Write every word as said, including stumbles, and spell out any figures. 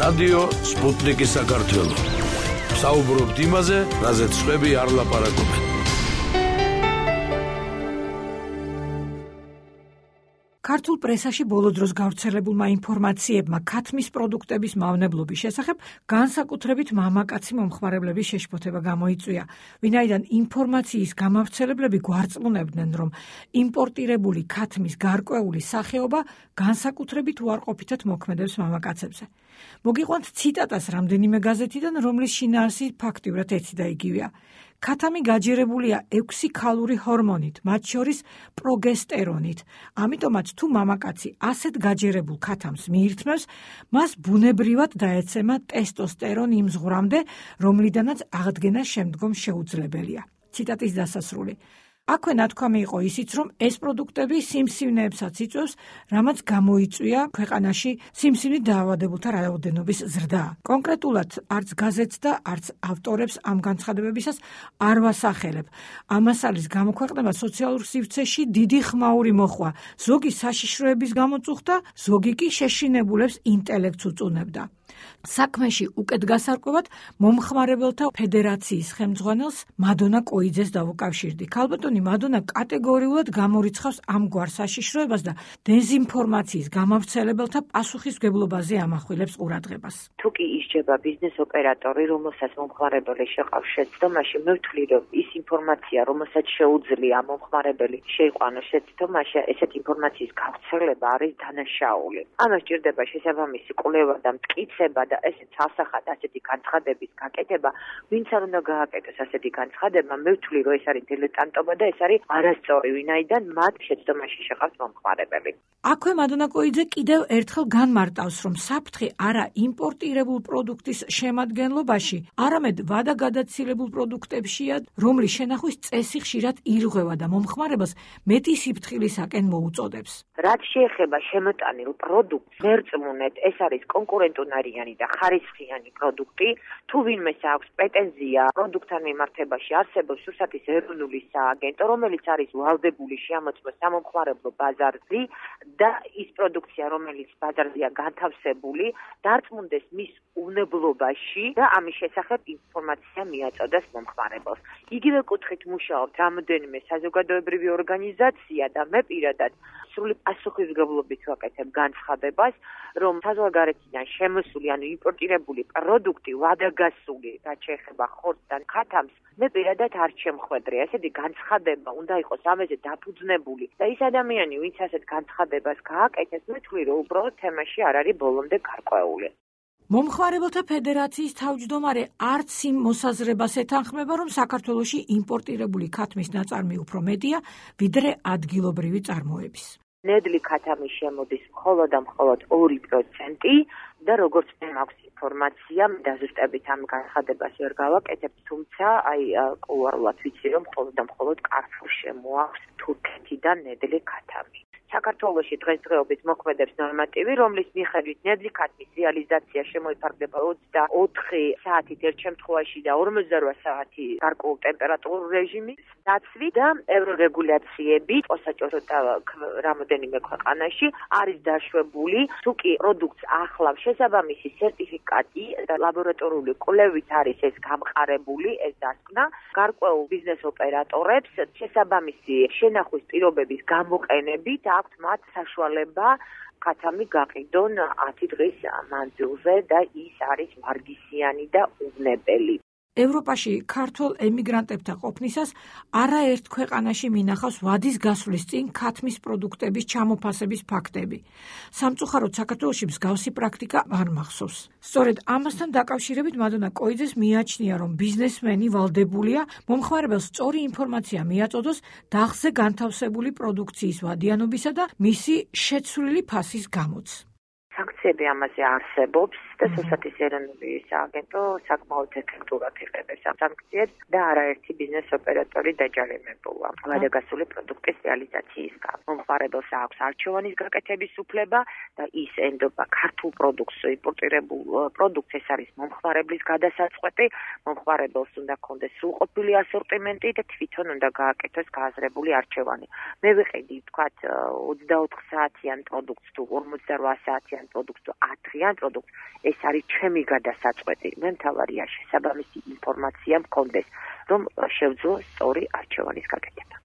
რადიო სპუტნიკი საქართველო. საუბრობთ იმაზე, რაზეც სხვები არ ლაპარაკობენ. ქართულ პრესაში ბოლო დროს გავრცელებულმა ინფორმაციებმა ქათმის პროდუქტების მავნებლობის შესახებ განსაკუთრებით მამაკაცი მომხმარებლების შეშფოთება გამოიწვია, ვინაიდან ინფორმაციის გამავრცელებლები გვარწმუნებდნენ, რომ იმპორტირებული ქათმის გარკვეული სახეობა განსაკუთრებით უარყოფითად მოქმედებს მამაკაცებზე. მოგიყვანთ ციტატას რამდენიმე გაზეთიდან, რომლის შინაარსი ფაქტიურად ერთი და იგივეა. ქათამი გაჯერებულია ექვსი ქალური ჰორმონით, მათ შორის პროგესტერონით. ამიტომაც თუ მამაკაცი ასეთ გაჯერებულ ქათამს მიირთმევს, მას ბუნებრივად დაეცემა ტესტოსტერონი იმ ზღვრამდე, რომლიდანაც აღდგენა შემდგომ შეუძლებელია. ციტატის დასასრული. აქვე ნათქვამი იყო ისიც, რომ ეს პროდუქტები სიმსივნეებსაც იწვევს, რამაც გამოიწვია ქვეყანაში სიმსივნით დაავადებულთა რაოდენობის ზრდა. კონკრეტულად არც გაზეთს და არც ავტორებს ამ განცხადებებისას არ ვასახელებ. ამას არის გამოქვეყნება სოციალურ სივრცეში დიდი ხმაური მოხვა. ზოგი საშიშროების გამო წუხდა, ზოგი კი შეშინებულებს ინტელექტს უწუნებდა. საქმეში უკეთ გასარკვევად მომხმარებელთა ფედერაციის ხელმძღვანელს მადონა კოიძეს დავუკავშირდი. ქალბატონი მადონა კატეგორიულად გამორიცხავს ამგვარ საშიშროებას და დეზინფორმაციის გამავრცელებელთა პასუხისმგებლობაზე ამახვილებს ყურადღებას. თუ კი ისჯება ბიზნეს ოპერატორი, რომელსაც მომხმარებელი შეყავს შეცდომაში, მე ვთვლი, რომ ის ინფორმაცია, რომელსაც შეუძლია მომხმარებელი შეიყვანოს შეცდომაში, ესეთ ინფორმაციის გავრცელება არის დანაშაული. ამას სჭირდება შესაბამისი კვლევა და მტკიცება და ესეც ასახად ასეთი განცხადების გაკეთება, ვინც არ უნდა გააკეთოს ასეთი განცხადება, მე ვთვლი, რომ ეს არის დილეტანტობა და ეს არის არასწორი, ვინაიდან მათ შეცდომაში შეყავს მომხმარებელი. აქვე მადონა კოიძე კიდევ ერთხელ განმარტავს, რომ საფრთხე არა იმპორტირებულ პროდუქტის შემადგენლობაში, არამედ ვადაგადაცილებულ პროდუქტებშია, რომლის შენახვის წესი ხშირად ირღვევა და მომხმარებელს მეტი სიფრთხილისაკენ მოუწოდებს. რაც შეეხება შემოტანილ პროდუქტს, მერწმუნეთ, ეს არის კონკურენტუნარიანი და ხარისხიანი პროდუქტი, თუ ვინმეს აქვს პრეტენზია პროდუქტთან მიმართებაში, არსებობს რუსეთის ეროვნული სააგენტო, რომელიც არის ვალდებული შეამოწმოს სამომხმარებლო ბაზარზე და ის პროდუქცია, რომელიც ბაზარზეა განთავსებული, დარწმუნდეს მის უნებლობაში და ამის შესახებ ინფორმაცია მიაწოდოს მომხმარებელს. იგივე კუთხით მუშაობთ რამდენიმე საზოგადოებრივი ორგანიზაცია და მე პირადად სრული პასუხისმგებლობით ვაკეთებ განცხადებას, რომ საზღვარგარეთიდან შემოსული, ანუ იმპორტირებული პროდუქტი, ვადაგასული, რაც შეეხება ხორცს და ქათამს, მე პირადად არ შემხვედრია. ესეთი განცხადება უნდა იყოს ამაზე დაფუძნებული და ის ადამიანი, ვინც ასეთ განცხადებას გააკეთებს, მე ვთვლი, რომ უბრალოდ თემაში არ არის ბოლომდე გარკვეული. მომხმარებელთა ფედერაციის თავმჯდომარე არც იმ მოსაზრებას ეთანხმება, რომ საქართველოში იმპორტირებული ქათმის ნაწარმი უფრო მეტია, ვიდრე ადგილობრივი წარმოების. ნედლი ქათამი შემოდის მხოლოდ და მხოლოდ ორი პროცენტი და როგორც მე მაქვს ინფორმაცია, დაზუსტებით ამ განცხადებას ვერ გავაკეთებ, თუმცა აი ყოველდღიურად ვიცი, რომ მხოლოდ და მხოლოდ კარფურ შემოაქვს თურქეთიდან ნედლი ქათამი. საქართველოში დღესდღეობით მოქმედებს ნორმატივი, რომლის მიხედვით ნედლი ქათმის რეალიზაცია შემოიფარგლება ოცდაოთხი საათით ერთ შემთხვევაში და ორმოცდარვა საათი გარკვეულ ტემპერატურულ რეჟიმის დაცვით და ევრორეგულაციებით მოსაჭორო და რამოდენიმე ქვეყანაში არის დაშვებული, თუ კი პროდუქტს ახლავს შესაბამისი სერტიფიკატი და ლაბორატორიული კვლევით არის ეს გამყარებული, ეს დასკვნა, გარკვეულ ბიზნეს ოპერატორებს შესაბამისი შენახვის პირობების გამოყენებით აქვთ მათ საშუალება ქათამი გაყიდონ ათი დღის მანძილზე და ის არის ვარგისიანი და უვნებელი. ევროპაში ქართულ ემიგრანტებთა ყოფნისას არაერთ ქვეყანაში მინახავს ვადის გასვლის წინ ქათმის პროდუქტების ჩამოფასების ფაქტები. სამწუხაროდ საქართველოში მსგავსი პრაქტიკა არ მახსოვს. სწორედ ამასთან დაკავშირებით მადონა კოიძეს მიაჩნია, რომ ბიზნესმენი ვალდებულია მომხმარებელს სწორი ინფორმაცია მიაწოდოს დახზე განთავსებული პროდუქციის ვადიანობისა და მისი შეცვლილი ფასის გამოც. სანქციები ამაზე არსებობს და რუსეთის ეროვნული სააგენტო საკმაოდ ეფექტურად იღებს ამ სანქციებს და არაერთი ბიზნეს ოპერატორი დაჯარიმებულა ვადაგასული პროდუქტის რეალიზაციის გამო. მომხმარებელს აქვს არჩევანის გაკეთების უფლება და ის ენდობა ქართულ პროდუქტს, იმპორტირებულ პროდუქტს, ეს არის მომხმარებლის გადასაწყვეტი, მომხმარებელს უნდა ქონდეს სრულყოფილი ასორტიმენტი და თვითონ უნდა გააკეთოს გააზრებული არჩევანი. მე ვიყიდი, ვთქვათ, ოცდაოთხ საათიან პროდუქტს თუ ორმოცდარვა საათიან პროდუქტს თუ ათ დღიან პროდუქტს, ეს არის ჩემი გადასაწყვეტი. მე მთავარია შესაბამისი ინფორმაცია მქონდეს, რომ შევძლო სწორი არჩევანის გაკეთება.